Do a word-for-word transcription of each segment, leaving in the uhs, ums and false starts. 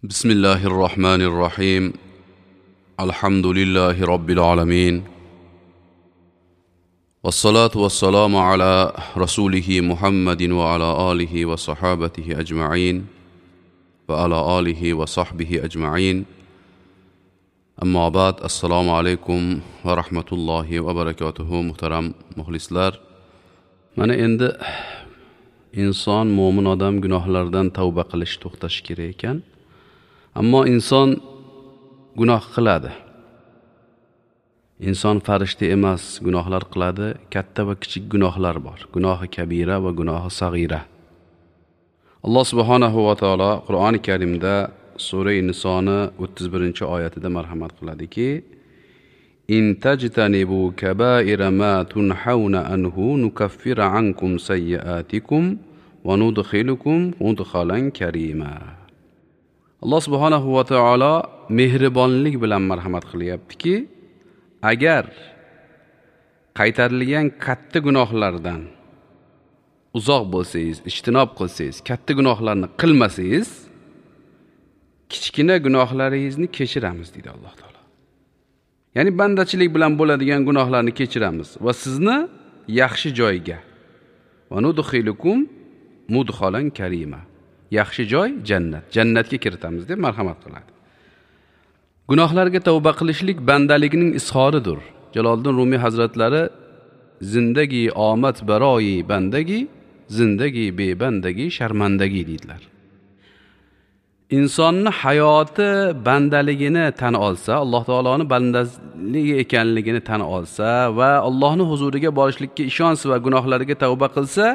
بسم الله الرحمن الرحيم. الحمد لله رب العالمين. والصلاة والسلام على رسوله محمد وعلى آله وصحابته أجمعين وعلى آله وصحبه أجمعين. أما بعد، السلام عليكم ورحمة الله وبركاته. Muhtaram muxlislar, mana endi inson, mo'min odam gunohlardan tavba qilish, to'xtash kerak ekan. Ammo inson gunoh qiladi. Inson farishta emas, gunohlar qiladi. Katta va kichik gunohlar bor. Gunohi kabira va gunohi sag'ira. Alloh subhanahu va taolo Qur'oni Karimda sura Nisoni o'ttiz birinchi oyatida marhamat qiladiki: In tajtanibu kabaira ma tunhauna anhu nukaffir ankum sayyiatikum va nudkhilukum mudkhalan karima. Alloh subhanahu va taolo mehribonlik bilan marhamat qilyaptiki, agar qaytarilgan katta gunohlardan uzoq bo'lsangiz, ijtinob qilsangiz, katta gunohlarni qilmasangiz, kichkina gunohlaringizni kechiramiz deydi Alloh taolo. Ya'ni bandachilik bilan bo'ladigan gunohlarni kechiramiz va sizni yaxshi joyga va nudkhilukum mudkhalan karima. Yaxshi joy jannat, jannatga kiritamiz deb marhamat qiladi. Gunohlarga tavba qilishlik bandalikning izhoridir. Jaloliddin Rumiy hazratlari zindagi omad baroyi bandagi, zindagi bebandagi sharmandagi deydilar. Insonni hayoti bandaligini tan olsa, Alloh taoloni bandaligi ekanligini tan olsa va Allohning huzuriga borishlikka ishonsa va gunohlariga tavba qilsa,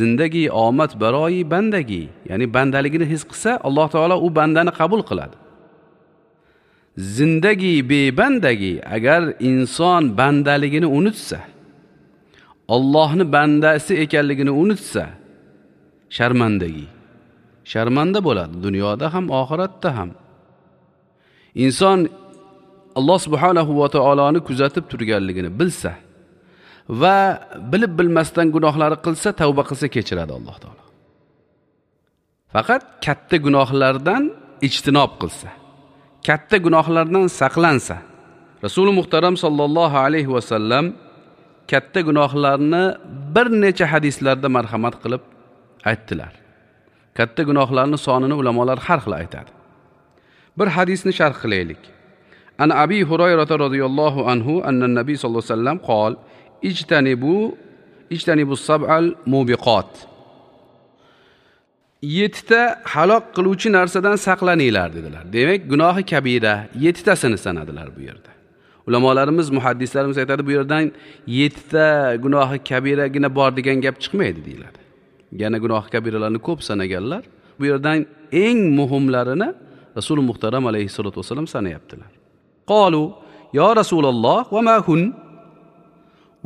zindagi omad baroyi bandagi, ya'ni bandaligini his qilsa, Alloh taolo u bandani qabul qiladi. Zindagi bebandagi, agar inson bandaligini unutsa, Allohning bandasi ekanligini unutsa, sharmandagi, sharmanda bo'ladi dunyoda ham, oxiratda ham. Inson Alloh subhanahu va taoloni kuzatib turganligini bilsa va bilib bilmasdan gunohlari qilsa, tavba qilsa kechiradi Alloh taolo. Faqat katta gunohlardan ijtinob qilsa, katta gunohlardan saqlansa. Rasuli muhtaram sallallohu alayhi va sallam katta gunohlarni bir necha hadislarda marhamat qilib aytdilar. Katta gunohlarni sonini ulamolar har xil aytadi. Bir hadisni sharh qilaylik. An Abi Hurayra radhiyallohu anhu anna nabiy sallallohu alayhi vasallam qol: Ijtanibu ijtanibu sab'al mubiqat. Yettita halok qiluvchi narsadan saqlaninglar dedilar. Demak, gunohi kabira yettitasini sanadilar bu yerda. Ulamolarimiz, muhaddislarimiz aytadi, bu yerdan yettita gunohi kabiragina bor degan gap chiqmaydi deyiladi. Yana gunoh kabiralarni ko'p sanaganlar. Bu yerdan eng muhimlarini Rasuli muhtaram alayhissalatu vassalam sanayaptilar. Qalu ya Rasululloh va ma hun?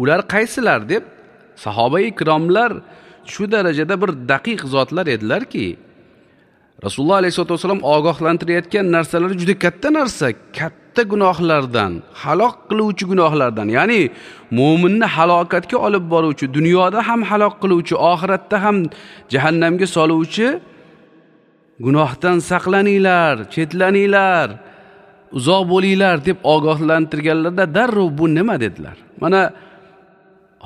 Ular qaysilar deb sahoba ikromlar shu darajada bir daqiq zotlar edilarki, Rasululloh alayhissalatu vassalam ogohlantirayotgan narsalari juda katta narsa, katta gunohlardan, halok qiluvchi gunohlardan, ya'ni mo'minni halokatga olib boruvchi, dunyoda ham halok qiluvchi, oxiratda ham jahannamga soluvchi gunohdan saqlaninglar, chetlaninglar, uzoq bo'linglar deb ogohlantirganlarda darrov bu nima dedilar. Mana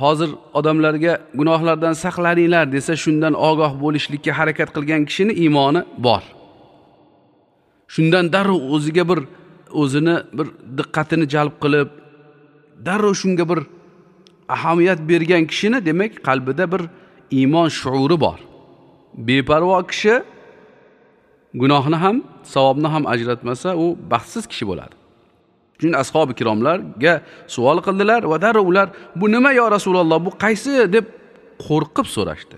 hozir odamlarga gunohlardan saqlaninglar desa, shundan ogoh bo'lishlikka harakat qilgan kishini iymoni bor. Shundan darrov o'ziga bir o'zini bir diqqatini jalb qilib, darrov shunga bir ahamiyat bergan kishini, demak, qalbida bir iymon shuuri bor. Beparvo kishi gunohni ham, savobni ham ajratmasa, u baxtsiz kishi bo'ladi. Chunki ashabi kiromlarga savol qildilar va darrov ular bu nima yo Rasululloh, bu qaysi deb qo'rqib so'rashdi.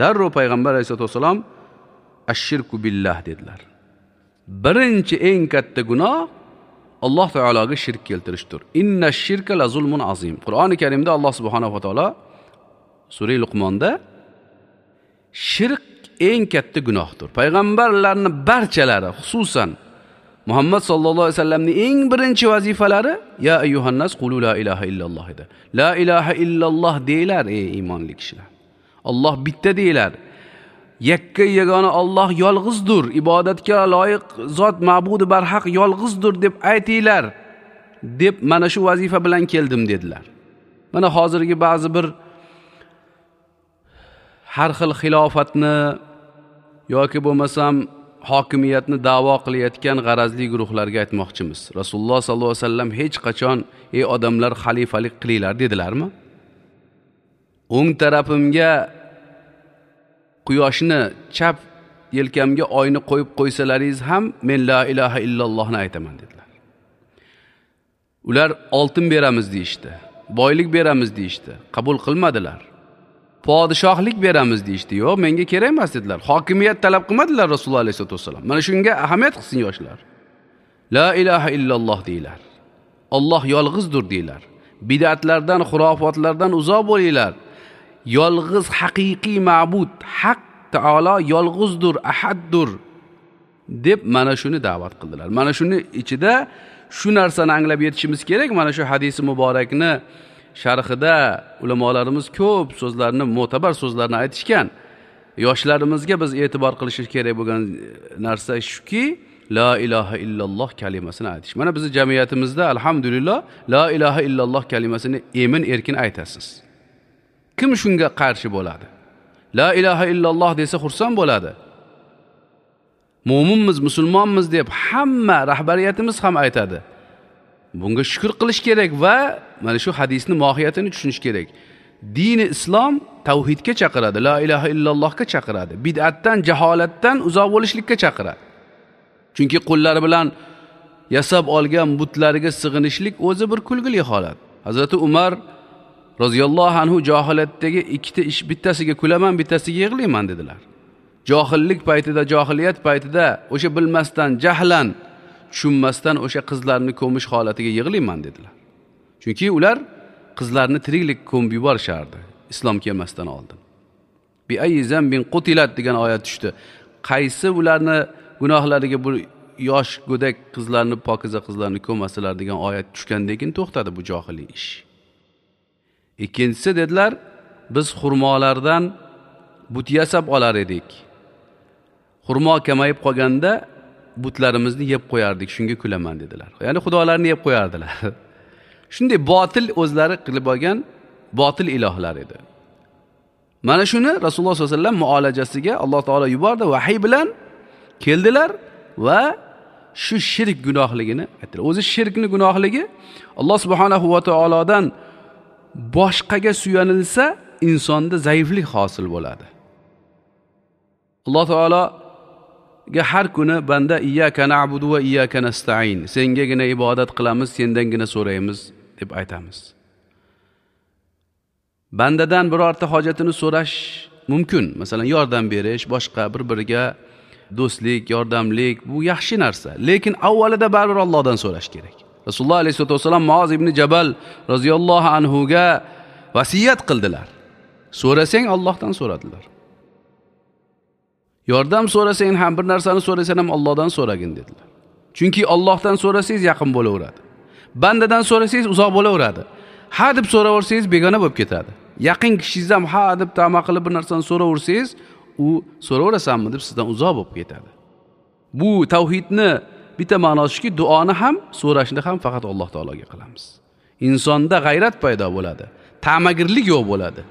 Darrov payg'ambar alayhisalotu vassalom ash-shirku billah dedilar. Birinchi eng katta gunoh Alloh taologa shirk keltirishdir. Inna shirka la zulmun azim. Qur'oni Karimda Alloh subhanahu va taolo sura Luqmonda shirk eng katta gunohdir. Payg'ambarlarning barchalari, xususan Muhammad sallallohu alayhi vasallamning eng birinchi vazifalari ya ayyuhannas qulu la ilaha illalloh edi. La ilaha illalloh deylar ey iymonli kishilar. Alloh bitta deylar. Yakka yagona Alloh yolg'izdir, ibodatga loyiq zot ma'budi barhaq yolg'izdir deb aytinglar deb mana shu vazifa bilan keldim dedilar. Mana hozirgi ba'zi bir har xil xilofatni yoki bo'lmasam hokimiyatni da'vo qilayotgan g'arazli guruhlarga aytmoqchimiz. Rasululloh sollallohu alayhi vasallam hech qachon ey odamlar xalifalik qilinglar dedilarmi? O'ng tarafimga quyoshni, chap yelkamga oyni qo'yib qo'ysalaringiz ham men la ilaha illallohni aytaman dedilar. Ular oltin beramiz deyishdi, boylik beramiz deyishdi, qabul qilmadilar. Podshohlik beramiz deyishdi, yo'q, menga kerak emas dedilar. Hokimiyat talab qilmadilar Rasululloh alayhisolatu vasallam. Mana shunga ahamiyat qilsin yoshlar. La ilaha illalloh deylar. Alloh yolg'izdir deylar. Bid'atlardan, xurofotlardan uzoq bo'linglar. Yolg'iz haqiqiy ma'bud Haq taolo yolg'izdir, ahaddir deb mana shuni da'vat qildilar. Mana shuni ichida shu narsani anglab yetishimiz kerak. Mana shu hadisi muborakni sharhida ulamolarimiz ko'p so'zlarni, mo'tabar so'zlarni aytishgan. Yoshlarimizga biz e'tibor qilishimiz kerak bo'lgan narsa shuki, la ilaha illalloh kalimasini aytish. Mana bizning jamiyatimizda alhamdulillah la ilaha illalloh kalimasini emin erkin aytasiz. Kim shunga qarshi bo'ladi? La ilaha illalloh desa xursand bo'ladi. Mo'minmiz, musulmonmiz deb hamma rahbariyatimiz ham aytadi. Bunga shukr qilish kerak va mana shu hadisni mohiyatini tushunish kerak. Dini islom tavhidga chaqiradi, la ilaha illallohga chaqiradi, bid'atdan, jaholatdan uzoq bo'lishlikka chaqiradi. Chunki qo'llari bilan yasab olgan butlariga sig'inishlik o'zi bir kulgili holat. Hazrati Umar roziyallohu anhu johiliyatdagi ikkita ish, bittasiga kulaman, bittasiga yig'layman dedilar. Johillik paytida, johiliyat paytida o'sha bilmasdan, jahlan, tushunmasdan o'sha qizlarni ko'mish holatiga yig'layman dedilar. Chunki ular qizlarni tiriklik ko'mib yuborishardi islom kelmasdan oldin. Bi ayyi zambin qutilat degan oyat tushdi. Qaysi ularni gunohlariga bu yosh go'dak qizlarni, pokiza qizlarni ko'masalar degan oyat tushgandan keyin to'xtadi bu johiliy ish. Ikkinchisi dedilar, biz xurmolardan but yasab olar edik. Xurmo kamayib qolganda butlarimizni yeb qo'yardik, shunga kulaman dedilar. Ya'ni xudolarni yeb qo'yardilar. Shunday botil o'zlari qilib olgan botil ilohlar edi. Mana shuni Rasululloh sollallohu alayhi vasallam muolajasiga Alloh taolo yubordi, vahiy bilan keldilar va shu shirk gunohligini aytdilar. O'zi shirkni gunohligi Alloh subhanahu va taolodan boshqaga suyanilsa insonda zaiflik hosil bo'ladi. Alloh taologa har kuni banda iyyaka na'budu va iyyaka nasta'in, sengagina ibodat qilamiz, sendangina so'raymiz deb aytamiz. Bandadan birorta hojatini so'rash mumkin. Masalan, yordam berish, boshqa bir-biriga do'stlik, yordamlik bu yaxshi narsa. Lekin avvalida baribir Allohdan so'rash kerak. Rasululloh alayhisolatu vasallam Muoz ibn Jabal roziyallohu anhu ga vasiyat qildilar. So'rasang Allohdan so'radilar. Yordam so'rasang ham, bir narsani so'rasang ham Allohdan so'ragin dedilar. Chunki Allohdan so'rasangiz yaqin bo'laveradi. Bandadan so'rasangiz uzoq bo'laveradi. Ha deb so'raversangiz begona bo'lib ketadi. Yaqin kishingiz ham ha deb tama qilib bir narsani so'raversangiz, u so'raverasanmi deb sizdan uzoq bo'lib ketadi. Bu tavhidni bitta ma'nosi shuki, duoni ham, so'rashni ham faqat Alloh taologa qilamiz. Insonda g'ayrat paydo bo'ladi, ta'magirlik yo'q bo'ladi,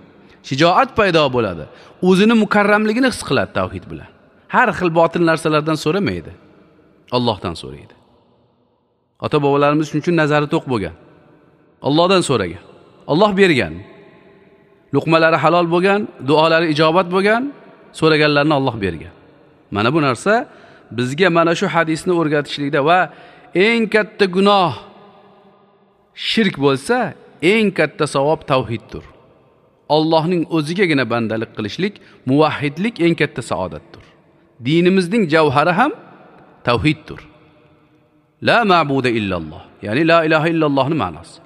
shijoat paydo bo'ladi, o'zini mukarramligini his qiladi tavhid bilan. Har xil botil narsalardan so'ramaydi, Allohdan so'raydi. Ota-bobolarimiz shuning uchun nazari to'q bo'lgan. Allohdan so'ragan, Alloh bergan. Luqmalari halol bo'lgan, duolari ijobat bo'lgan, so'raganlarini Alloh bergan. Mana bu narsa bizga mana shu hadisni o'rgatishlikda va eng katta gunoh shirk bo'lsa, eng katta savob tavhiddir. Allohning o'zigagina bandalik qilishlik, muvahhidlik eng katta saodatdir. Dinimizning javhari ham tavhiddir. La ma'buda illalloh, ya'ni la ilaha illallohning ma'nosi.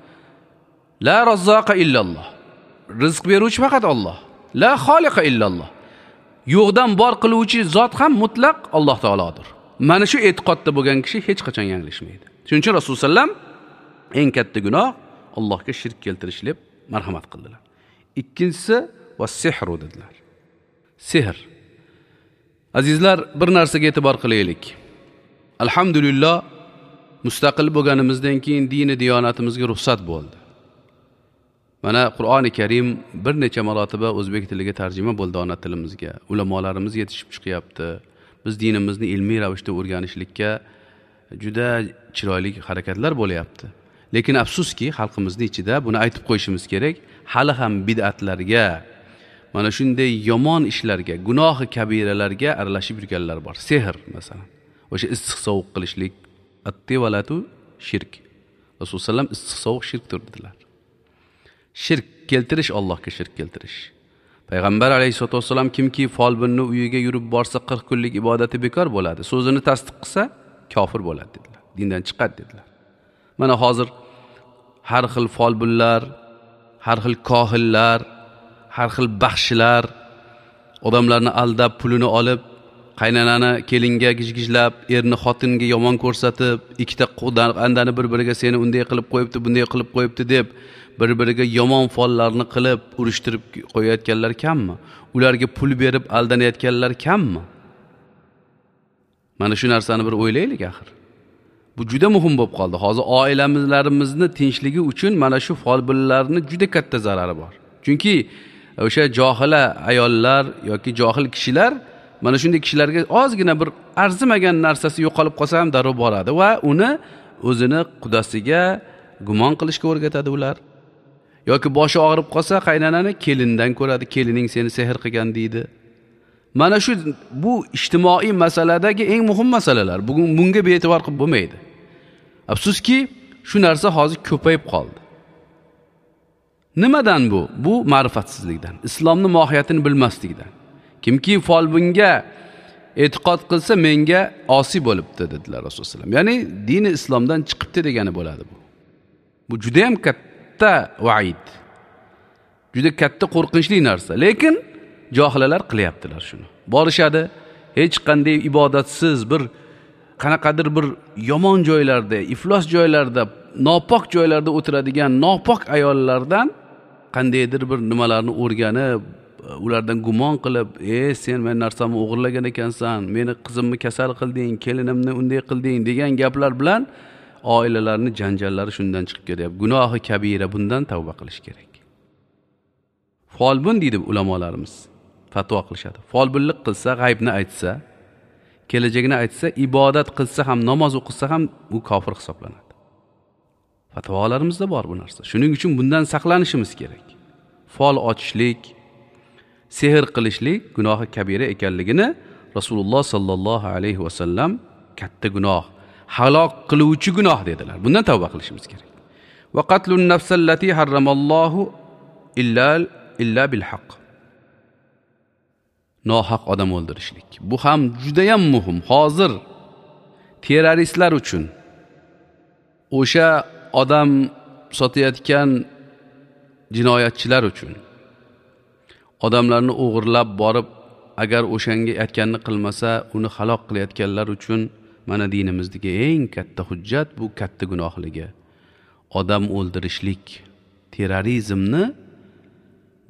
La razzaqa illalloh. Rizq beruvchi faqat Alloh. La xoliqa illalloh. Yo'qdan bor qiluvchi zot ham mutlaq Alloh taolodir. Mana shu e'tiqodda bo'lgan kishi hech qachon yanglishmaydi. Shuning uchun Rasululloh sallam eng katta gunoh Allohga shirk keltirish deb marhamat qildilar. Ikkinchisi va sihru dedilar. Sehr. Azizlar, bir narsaga e'tibor qilaylik. Alhamdulillah, mustaqil bo'lganimizdan keyin dini diyonatimizga ruxsat bo'ldi. Mana Qur'oni Karim bir necha marotaba o'zbek tiliga tarjima bo'ldi, ona tilimizga. Ulamolarimiz yetishib chiqyapti. Biz dinimizni ilmiy ravishda o'rganishlikka juda chiroyli harakatlar bo'lyapti. Lekin afsuski, xalqimizning ichida buni aytib qo'yishimiz kerak, hali ham bid'atlarga, mana shunday yomon ishlarga, gunohi kabiralarga aralashib yurganlar bor. Sehr masalan, o'sha issiq sovuq qilishlik, at-tivalatu shirk. Rasululloh sallam issiq sovuq shirkdir dedilar. Shirk keltirish, Allohga shirk keltirish. Payg'ambar alayhissalatu vassalam kimki folbinni uyiga yurib borsa qirq kunlik ibodati bekor bo'ladi, so'zini tasdiq qilsa kofir bo'ladi dedilar. Dindan chiqadi dedilar. Mana hozir har xil folbinlar, har xil kohillar, har xil baxshilar odamlarni aldab pulini olib, qaynonani kelinga gijgijlab, erni xotinga yomon ko'rsatib, ikkita andani bir-biriga seni unday qilib qo'yibdi, bunday qilib qo'yibdi deb bir-biriga yomon follarni qilib urushtirib qo'yayotganlar kammi? Ularga pul berib aldanayotganlar kammi? Mana shu narsani bir o'ylaylik axir. Bu juda muhim bo'lib qoldi. Hozir oilamizlarimizni tinchligi uchun mana shu folbinlarning juda katta zarari bor. Chunki o'sha johila ayollar yoki johil kishilar mana shunday kishilarga ozgina bir arzimagan narsasi yo'qolib qolsa ham darrov boradi va uni o'zini qudasiga gumon qilishga o'rgatadi ular. Yoki boshi og'rib qolsa qaynonani kelindan ko'radi, kelining seni sehr qilgan deydi. Mana shu bu ijtimoiy masaladagi eng muhim masalalar. Bugun bunga bee'tibor qilib bo'lmaydi. Afsuski, shu narsa hozir ko'payib qoldi. Nimadan bu? Bu ma'rifatsizlikdan, islomning mohiyatini bilmaslikdan. Kimki folbinga e'tiqod qilsa menga osiy bo'libdi dedilar Rasululloh sallam. Ya'ni dini islomdan chiqibdi degani bo'ladi bu. Bu juda ham katta vaid. Juda katta qo'rqinchli narsa. Lekin johillar qilyaptilar shuni. Borishadi, hech qanday ibodatsiz bir qanaqadir bir yomon joylarda, iflos joylarda, nopok joylarda o'tiradigan nopok ayollardan qandaydir bir nimalarni o'rganib, ulardan gumon qilib, "Ey, sen meni narsamni o'g'irlagan ekansan, meni qizimni kasal qilding, kelinimni unday qilding" degan gaplar bilan oilalarning janjallari shundan chiqib ketyapti. Gunohi kabira, bundan tavba qilish kerak. Folbin deydi ulamolarimiz, fatvo qilishadi. Folbinlik qilsa, g'aybni aytsa, kelajagini aytsa, ibodat qilsa ham, namoz o'qisa ham u kofir hisoblanadi. Fatvolarimizda bor bu narsa. Shuning uchun bundan saqlanishimiz kerak. Fol ochishlik, sehr qilishlik gunohi kabira ekanligini Rasululloh sallallohu alayhi vasallam katta gunoh, halok qiluvchi gunoh dedilar. Bundan tavba qilishimiz kerak. Va qatlun nafsallati harramallohu illa illa bil haqq. Nohaq odam o'ldirishlik. Bu ham juda ham muhim. Hozir terroristlar uchun o'sha odam sotayotgan jinoyatchilar uchun odamlarni o'g'irlab borib, agar o'shanga aytganini qilmasa, uni halok qilayotganlar uchun mana dinimizdagi eng katta hujjat bu katta gunohligi. Odam o'ldirishlik, terrorizmni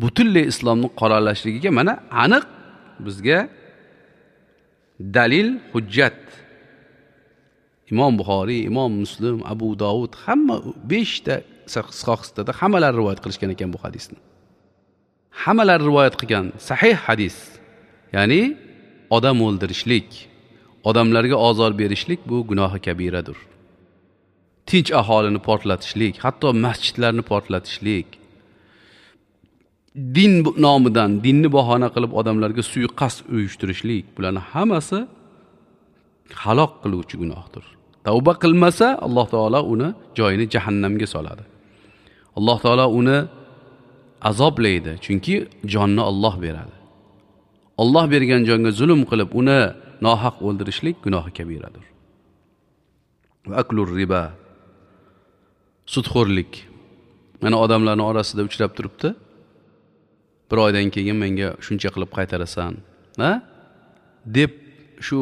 butunlay islomni qoralashligiga mana aniq bizga dalil, hujjat. Imom Buxoriy, Imom Muslim, Abu Dovud hamma beshta sahihda hammalari rivoyat qilishgan ekan bu hadisni. Hammalari rivoyat qilgan sahih hadis. Ya'ni odam o'ldirishlik, odamlarga ozor berishlik bu gunohi kabiradir. Tinch aholini portlatishlik, hatto masjidlarni portlatishlik, din nomidan dinni bahona qilib odamlarga suiqasd uyushtirishlik, bularning hammasi halok qiluvchi gunohdir. Tavba qilmasa Alloh taolo uni joyini jahannamga soladi. Alloh taolo uni azoblaydi, chunki jonni Alloh beradi. Alloh bergan jonga zulm qilib uni nohaq o'ldirishlik gunohi kabiradir. Va aklur riba, sudxo'rlik. Mana odamlarning orasida uchrab turibdi. Bir oydan keyin menga shuncha qilib qaytarasan, ha? Deb shu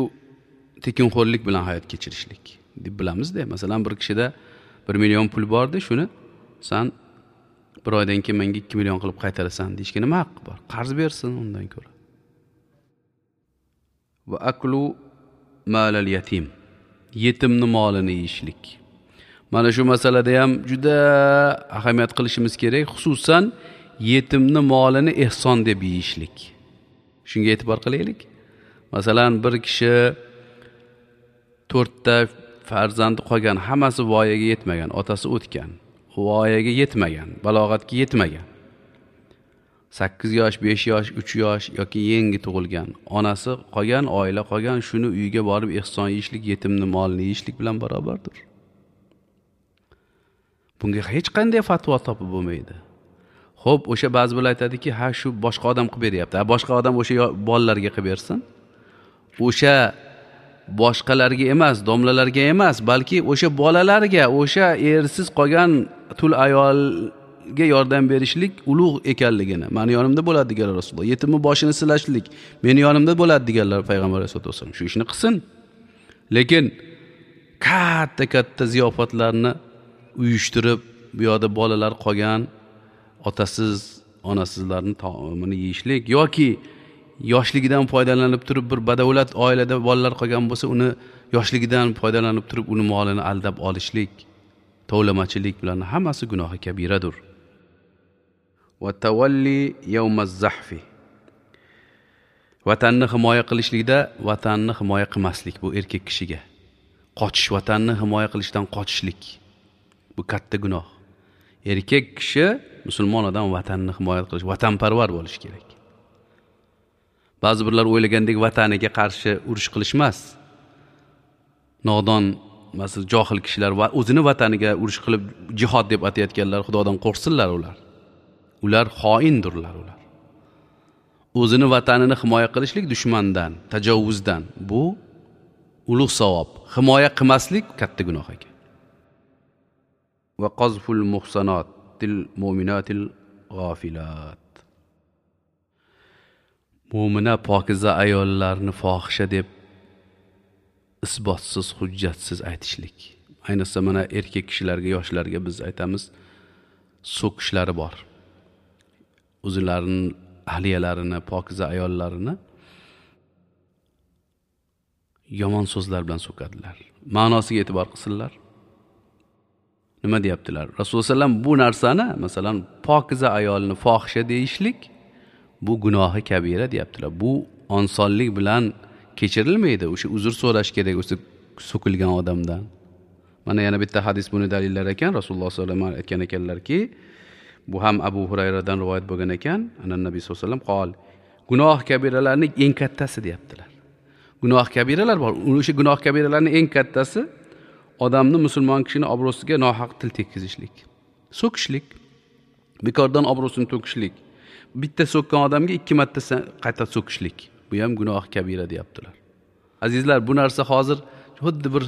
tekinxo'rlik bilan hayot kechirishlik deb bilamizda. Masalan, bir kishida bir million pul bordi, shuni san bir oydan keyin menga ikki million qilib qaytarasan deyishga nima haqqi bor? Qarz bersin undan ko'ra. Va aklu malal yatim, yetimni molini yeyishlik. Mana shu masalada ham juda ahamiyat qilishimiz kerak, xususan yetimni molini ehson deb yeyishlik. Shunga e'tibor qilaylik. Masalan, bir kishi to'rtta farzandi qolgan, hammasi voyaga yetmagan, otasi o'tgan, voyaga yetmagan, balog'atga yetmagan. sakkiz yosh, besh yosh, uch yosh yoki yangi tug'ilgan, onasi qolgan, oila qolgan, shuni uyiga borib ehson yeyishlik yetimni molini yeyishlik bilan barobardir. Bunga hech qanday fatvo topib bo'lmaydi. Xo'p, o'sha ba'zi birlar aytadiki, ha shu boshqa odam qilib beryapti. Ha, boshqa odam o'sha bolalarga qilib bersin. O'sha boshqalarga emas, domlalarga emas, balki o'sha bolalarga, o'sha ersiz qolgan tul ayolga yordam berishlik ulug' ekanligini, meni yonimda bo'ladi deganlar Rasululloh. Yetimni boshini silashlik meni yonimda bo'ladi deganlar payg'ambar alayhisolatu vassalom. Shu ishni qilsin. Lekin katta-katta ziyofatlarni uyushtirib, bu yoqda bolalar qolgan otasiz, onasizlarning taomini yeyishlik yoki yoshligidan foydalanib turib bir badavlat oilada bolalar qolgan bo'lsa, uni yoshligidan foydalanib turib uni molini aldab olishlik, tovlamachilik bilan hammasi gunohi kabiradir. Va tavalli yawmaz zahfi. Vatanni himoya qilishlikda vatanni himoya qilmaslik, bu erkak kishiga. Qochish, vatanni himoya qilishdan qochishlik. Bu katta gunoh. Erkak kishi, musulmon odam vatanni himoya qilish, vatanparvar bo'lish kerak. Ba'zi birlar o'ylagandek vataniga qarshi urush qilish emas. Nodon, masalan, johil kishilar va o'zini vataniga urush qilib jihod deb atayotganlar, Xudodan qo'rqsinlar ular. Ular xoindirlar ular. O'zini vatanini himoya qilishlik dushmandan, tajovuzdan, bu ulug' savob. Himoya qilmaslik katta gunoh ekan. Va qazful muhsanatil mu'minatil g'ofilat. Mo'mina pokiza ayollarni fohisha deb isbotsiz, hujjatsiz aytishlik. Ayniqsa mana erkak kishilarga, yoshlarga biz aytamiz, so'kishlari bor. O'zlarining ahliyalarini, pokiza ayollarini yomon so'zlar bilan so'kadilar. Ma'nosiga e'tibor qilsinlar. Nima deyaptilar? Rasululloh sallam bu narsani, masalan, pokiza ayolni fohisha deyishlik bu gunohi kabira deyaptilar. Bu osonlik bilan kechirilmaydi. O'sha uzr so'rash kerak o'sha so'kilgan odamdan. Mana yana bitta hadis buni dalillar ekan. Rasululloh sollallohu alayhi vasallam aytgan ekanlarki, bu ham Abu Hurayradan rivoyat bo'lgan ekan. Ana Nabiy sollallohu alayhi vasallam qol, gunoh kabiralarning eng kattasi deyaptilar. Gunoh kabiralar bor. O'sha gunoh kabiralarning eng kattasi odamni, musulmon kishini obro'siga nohaq til tekkizishlik, so'kishlik, bekordan obro'sini to'kishlik. Bitta so'kkan odamga ikki marta qayta so'kishlik. Bu ham gunoh kabira deyaptilar. Azizlar, bu narsa hozir xuddi bir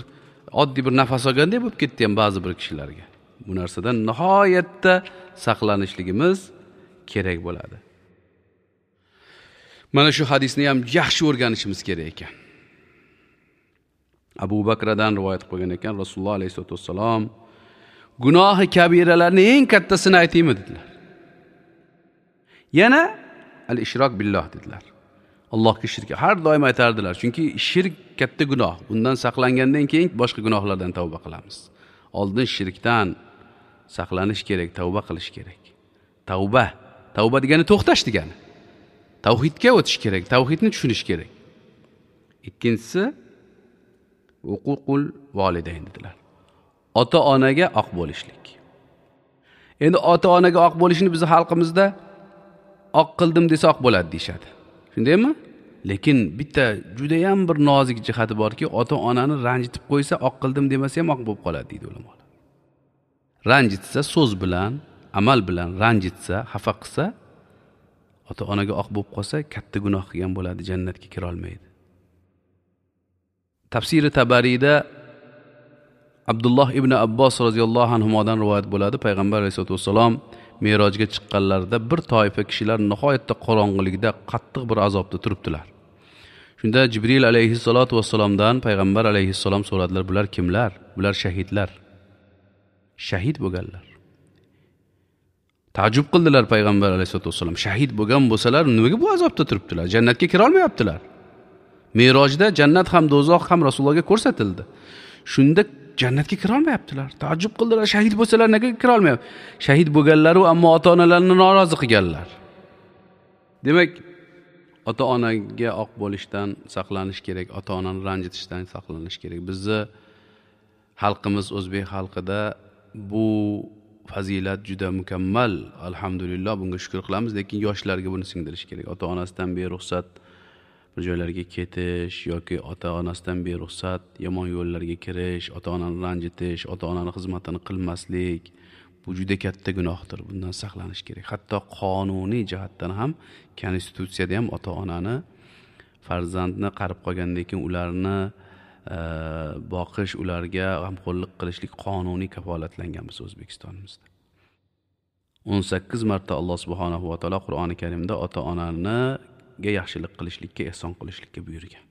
oddiy bir nafas olgandek bo'lib ketdi ham ba'zi bir kishilarga. Bu narsadan nihoyatda saqlanishligimiz kerak bo'ladi. Mana shu hadisni ham yaxshi o'rganishimiz kerak ekan. Abu Bakradan rivoyat qilgan ekan, Rasululloh alayhisolatu vassalom gunohi kabiralarning eng kattasini aytaymi dedilar. Yana al-ishrok billah dedilar. Allohga shirk har doim aytardilar, chunki shirk katta gunoh. Bundan saqlangandan keyin boshqa gunohlardan tavba qilamiz. Oldin shirkdan saqlanish kerak, tavba qilish kerak. Tavba, tavba degani to'xtash degani. Tavhidga o'tish kerak, tavhidni tushunish kerak. Ikkinchisi huququl volidayn dedilar. Ota-onaga oq bo'lishlik. Endi ota-onaga oq bo'lishni biz xalqimizda oq qildim desa oq bo'ladi deyshadi. Shundaymi? Lekin bitta juda ham bir nozik jihati borki, ota-onani ranjitib qo'ysa oq qildim demasa ham oq bo'lib qoladi deydi ulamolar. Ranjitsa so'z bilan, amal bilan ranjitsa, xafa qilsa, ota-onaga oq bo'lib qolsa katta gunoh qilgan bo'ladi, jannatga kira olmaydi. Tafsiri Tabariyda Abdulloh ibn Abbos roziyallohu anhudan rivoyat bo'ladi. Payg'ambar alayhisolatu vassalom Merojga chiqqanlarida bir toifa kishilar nihoyatda qorong'ilikda qattiq bir azobda turibdilar. Shunda Jibril alayhissalatu vassalomdan payg'ambar alayhissalom so'radilar, bular kimlar? Bular shahidlar. Shahid bo'lganlar. Ta'jub qildilar payg'ambar alayhissalatu vassalom. Shahid bo'lgan bo'lsalar, nimaga bu azobda turibdilar? Jannatga kira olmayaptilar. Merojda jannat ham do'zax ham Rasulullohga ko'rsatildi. Shunda jannatga kira olmayaptilar. Taajjub qildilar, shahid bo'lsalar nega kira olmayapti? Shahid bo'lganlar-u, ammo ota-onalarini norozi qilganlar. Demak, ota-onaga oq bo'lishdan saqlanish kerak, ota-onani ranjitishdan saqlanish kerak. Bizni xalqimiz, o'zbek xalqida bu fazilat juda mukammal. Alhamdulillah, bunga shukr qilamiz, lekin yoshlarga buni singdirish kerak. Ota-onasidan beruxsat bir joylarga ketish yoki ota-onasidan beruxsat yomon yo'llarga kirish, ota-onani ranjitish, ota-onani xizmatini qilmaslik bu juda katta gunohdir. Bundan saqlanish kerak. Hatto qonuniy jihatdan ham, konstitutsiyada ham ota-onani farzandni qarib qolgandan keyin ularni e, boqish, ularga g'amxo'rlik qilishlik qonuniy kafolatlangan biz O'zbekistonimizda. o'n sakkiz marta Alloh subhanahu va taolo Qur'oni Karimda ota-onani ga yaxshilik qilishlikka, ehson qilishlikka buyurgan.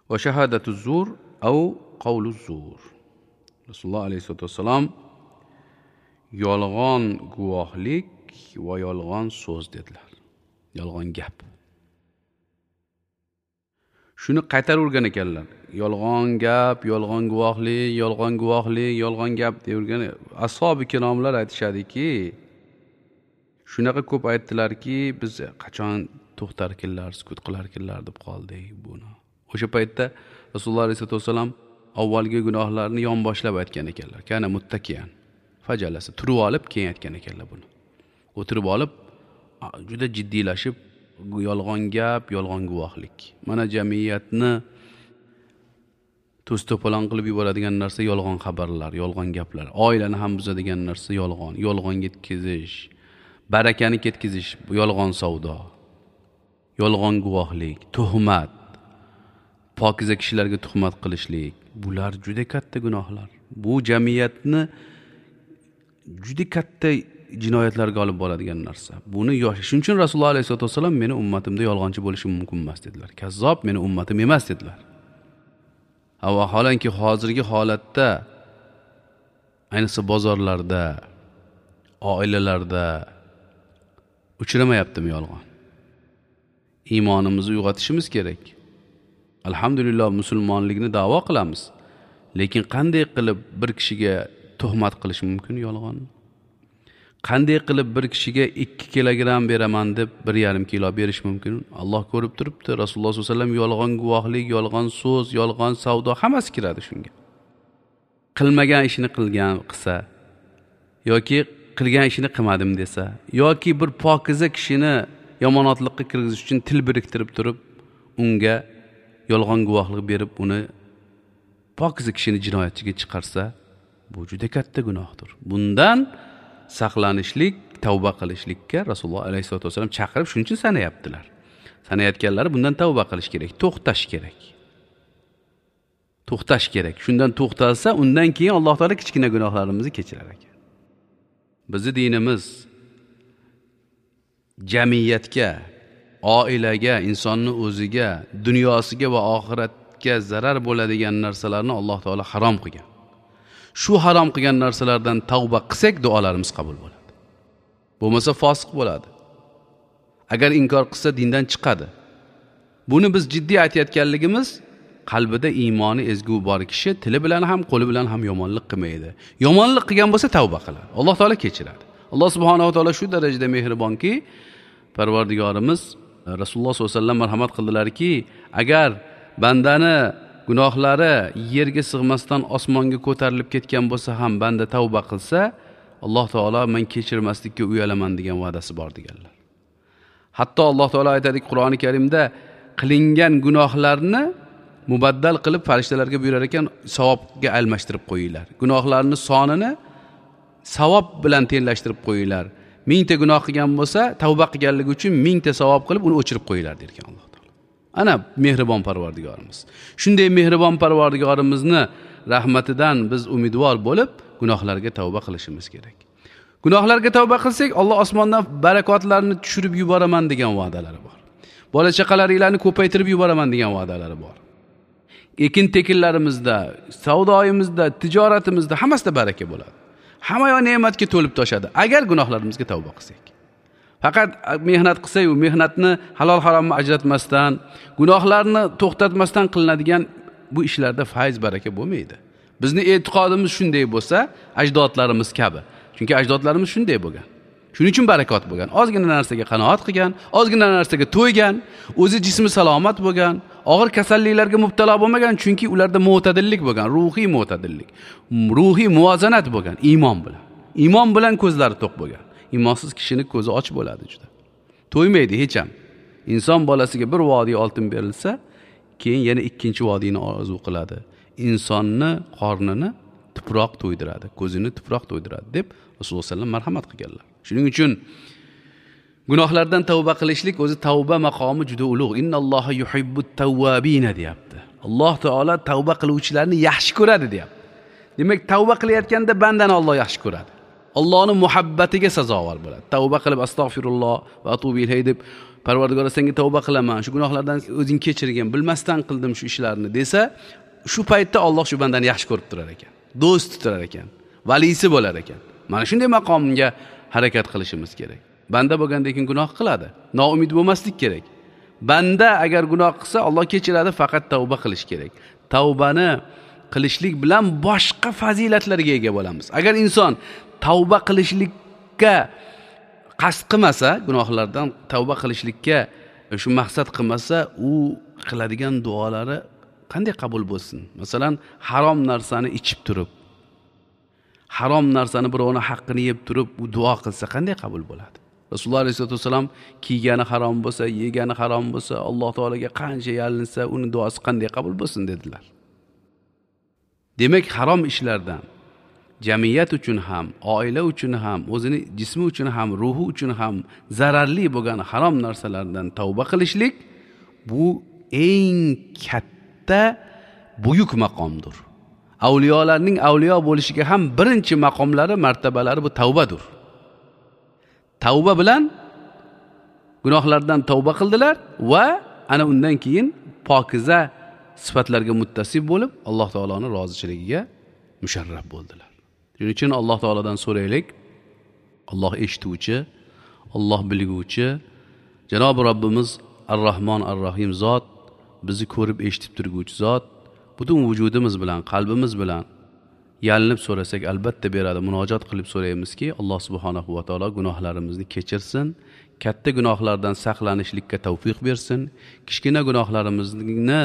Va shahadatu zur au qawlu zur. Rasululloh alayhisolatu vassalom yolg'on guvohlik va yolg'on so'z dedilar. Yolg'on gap. Shuni qaytaravergan ekanlar. Yolg'on gap, yolg'on guvohlik, yolg'on guvohlik, yolg'on gap deyavergan. Ashobi kiromlar aytishadiki, shunaqa ko'p aytdilarki, biz qachon to'xtarkinlar, sukut qilarkinlar deb qoldik buni. O'sha paytda Rasululloh alayhisolatu vasallam avvalgi gunohlarni yonboshlab aytgan ekanlar. Kana muttakiyan fajalasa, turib olib keyin aytgan ekanlar buni. O'tirib olib juda jiddiylashib yolg'on gap, yolg'on guvohlik. Mana jamiyatni to's-to'polon qilib yuboradigan narsa yolg'on xabarlar, yolg'on gaplar. Oilani ham buzadigan narsa yolg'on, yolg'on yetkazish, barakani ketkizish, yolg'on savdo, yolg'on guvohlik, tuhmat, pokiza kishilarga tuhmat qilishlik, bular juda katta gunohlar. Bu jamiyatni juda katta jinoyatlarga olib boradigan narsa. Buni yosh, shuning uchun Rasululloh alayhisolatu vasallam meni ummatimda yolg'onchi bo'lishi mumkin emas dedilar. Kazzob meni ummatim emas dedilar. Vaholanki hozirgi holatda ayniqsa bozorlarda, oilalarda uchramayaptimi yolg'on? Iymonimizni uyg'otishimiz kerak. Alhamdulillah, musulmonlikni da'vo qilamiz. Lekin qanday qilib bir kishiga tuhmat qilish mumkin yolg'onni? Qanday qilib bir kishiga ikki kilogramm beraman deb bir yarim kilo berish mumkin? Alloh ko'rib turibdi. Rasululloh sollallohu alayhi vasallam yolg'on guvohlik, yolg'on so'z, yolg'on savdo hammasi kiradi shunga. Qilmagan ishini qilgan qilsa yoki qilgan ishini qilmadim desa yoki bir pokiza kishini yomonotlikka kirgizish uchun til biriktirib turib unga yolg'on guvohlik berib uni pokiza kishini jinoyatchiga chiqarsa, bu juda katta gunohdir. Bundan saqlanishlik, tavba qilishlikka Rasululloh alayhisolatu vasallam chaqirib shuning uchun sanayaptilar. Sanayotganlari bundan tavba qilish kerak, to'xtash kerak. To'xtash kerak. Shundan to'xtalsa, undan keyin Alloh taolo kichkina gunohlarimizni kechirar ekan. Bizi dinimiz jamiyatga, oilaga, insonni o'ziga, dunyosiga va oxiratga zarar bo'ladigan narsalarni Alloh taolo harom qilgan. Shu harom qilgan narsalardan tavba qilsak, duolarimiz qabul bo'ladi. Bo'lmasa fosiq bo'ladi. Agar inkor qilsa dindan chiqadi. Buni biz jiddiy aytayotganligimiz, qalbida iymoni ezgu bor kishi tili bilan ham, qo'li bilan ham yomonlik qilmaydi. Yomonlik qilgan bo'lsa tavba qiladi. Alloh taolo kechiradi. Alloh subhanahu va taolo shu darajada mehribonki, Parvardigorimiz Rasululloh sollallohu alayhi vasallam marhamat qildilarki, agar bandani gunohlari yerga sig'masdan osmonga ko'tarilib ketgan bo'lsa ham banda tavba qilsa, Alloh taolo men kechirmaslikka uyalaman degan va'dasi bor deganlar. Hatto Alloh taolo aytadi Qur'oni Karimda, qilingan gunohlarni mubaddal qilib farishtalarga buyurar ekan, savobga almashtirib qo'yinglar. Gunohlarni sonini savob bilan tenglashtirib qo'yinglar. Mingta gunoh qilgan bo'lsa, tavba qilganligi uchun mingta savob qilib uni o'chirib qo'yinglar der ekan Alloh taolo. Ana mehribon Parvardigorimiz. Shunday mehribon Parvardigorimizni rahmatidan biz umidvor bo'lib gunohlarga tavba qilishimiz kerak. Gunohlarga tavba qilsak, Alloh osmondan barakotlarni tushirib yuboraman degan va'dalari bor. Bola chaqalaringlarni ko'paytirib yuboraman degan va'dalari bor. Ekin tekinlarimizda, savdoyimizda, tijoratimizda hammasida baraka bo'ladi. Hamma yoq ne'matga to'lib toshadi agar gunohlarimizga tavba qilsak. Faqat mehnat qilsa-yu, mehnatni halol haromni ajratmasdan, gunohlarni to'xtatmasdan qilinadigan bu ishlarda fayz baraka bo'lmaydi. Bizni e'tiqodimiz shunday bo'lsa, ajdodlarimiz kabi. Chunki ajdodlarimiz shunday bo'lgan. Shuning uchun barakot bo'lgan. Ozgina narsaga qanoat qilgan, ozgina narsaga to'ygan, o'zi jismi salomat bo'lgan, og'ir kasalliklarga mubtalo bo'lmagan, chunki ularda mo'tadillik bo'lgan, ruhiy mo'tadillik, ruhiy muvozanat bo'lgan, iymon bilan. Iymon bilan ko'zlari to'q bo'lgan. Iymonsiz kishini ko'zi och bo'ladi juda. To'ymaydi hech ham. Inson bolasiga bir vodiy oltin berilsa, keyin yana ikkinchi vodiyni orzu qiladi. Insonni qornini tuproq to'ydiradi, ko'zini tuproq to'ydiradi deb Rasululloh sollallohu alayhi vasallam marhamat qilganlar. Shuning uchun gunohlardan tavba qilishlik o'zi tavba maqomi juda ulug'. Innalloha yuhibbut tawwabin deyapti. Alloh taolo tavba qiluvchilarni yaxshi ko'radi deyapti. Demak, tavba qilayotganda bandani Alloh yaxshi ko'radi. Allohning muhabbatiga sazovor bo'ladi. Tavba qilib astag'firulloh va atubu ilayhi deb, Parvardigor senga tavba qilaman, shu gunohlardan o'zing kechirgin, bilmasdan qildim shu ishlarni desa, shu paytda Alloh shu bandani yaxshi ko'rib turar ekan. Do'st tutar ekan, valisi bo'lar ekan. Mana shunday maqomga harakat qilishimiz kerak. Banda bo'lgandan keyin gunoh qiladi. Noumid bo'lmaslik kerak. Banda agar gunoh qilsa, Alloh kechiradi, faqat tavba qilish kerak. Tavbani qilishlik bilan boshqa fazilatlarga ega bo'lamiz. Agar inson tavba qilishlikka qasd qilmasa, gunohlardan tavba qilishlikka shu maqsad qilmasa, u qiladigan duolari qanday qabul bo'lsin? Masalan, harom narsani ichib turib, harom narsani birovning haqqini yeb turib, u duo qilsa qanday qabul bo'ladi? Rasululloh alayhisolatu vasallam kiygani harom bo'lsa, yegani harom bo'lsa, Alloh taologa qancha yalinsa, uni duosi qanday qabul bo'lsin dedilar. Demak, harom ishlardan jamiyat uchun ham, oila uchun ham, o'zini jismi uchun ham, ruhi uchun ham zararli bo'lgan harom narsalardan tavba qilishlik bu eng katta buyuk maqomdir. Avliyolarning avliyo bo'lishiga ham birinchi maqomlari, martabalari bu tavbadir. Tavba bilan gunohlardan tavba qildilar va ana undan keyin pokiza sifatlarga muttasif bo'lib, Alloh taoloning rozichiligiga musharraf bo'ldilar. Shuning uchun Alloh taolodan so'raylik. Alloh eshituvchi, Alloh bilguvchi, Janobi Robbimiz Ar-Rahmon Ar-Rahim zot, bizni ko'rib eshitib turguvchi zot, butun vujudimiz bilan, qalbimiz bilan yalinib so'rasak albatta beradi. Munojat qilib so'raymizki, Alloh subhanahu va taolo gunohlarimizni kechirsin, katta gunohlardan saqlanishlikka tavfiq bersin, kichkina gunohlarimizni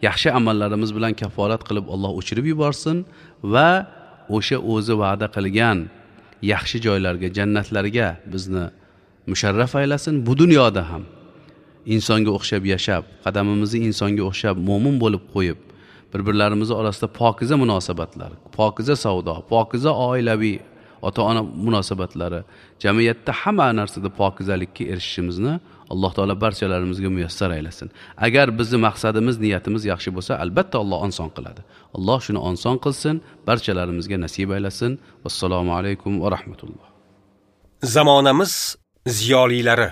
yaxshi amallarimiz bilan kaforat qilib Alloh o'chirib yuborsin va o'sha o'zi va'da qilgan yaxshi joylarga, jannatlarga bizni musharraf aylasin. Bu dunyoda ham insonga o'xshab yashab, qadamimizni insonga o'xshab mo'min bo'lib qo'yib, bir-birlarimiz orasida pokiza munosabatlar, pokiza savdo, pokiza oilaviy ota-ona munosabatlari, jamiyatda hamma narsada pokizalikka erishishimizni Alloh taolo barchalarimizga muyassar aylasin. Agar bizni maqsadimiz, niyatimiz yaxshi bo'lsa, albatta Alloh oson qiladi. Alloh shuni oson qilsin, barchalarimizga nasib aylasin. Vassalomu alaykum va rahmatulloh. Zamonamiz ziyolilari.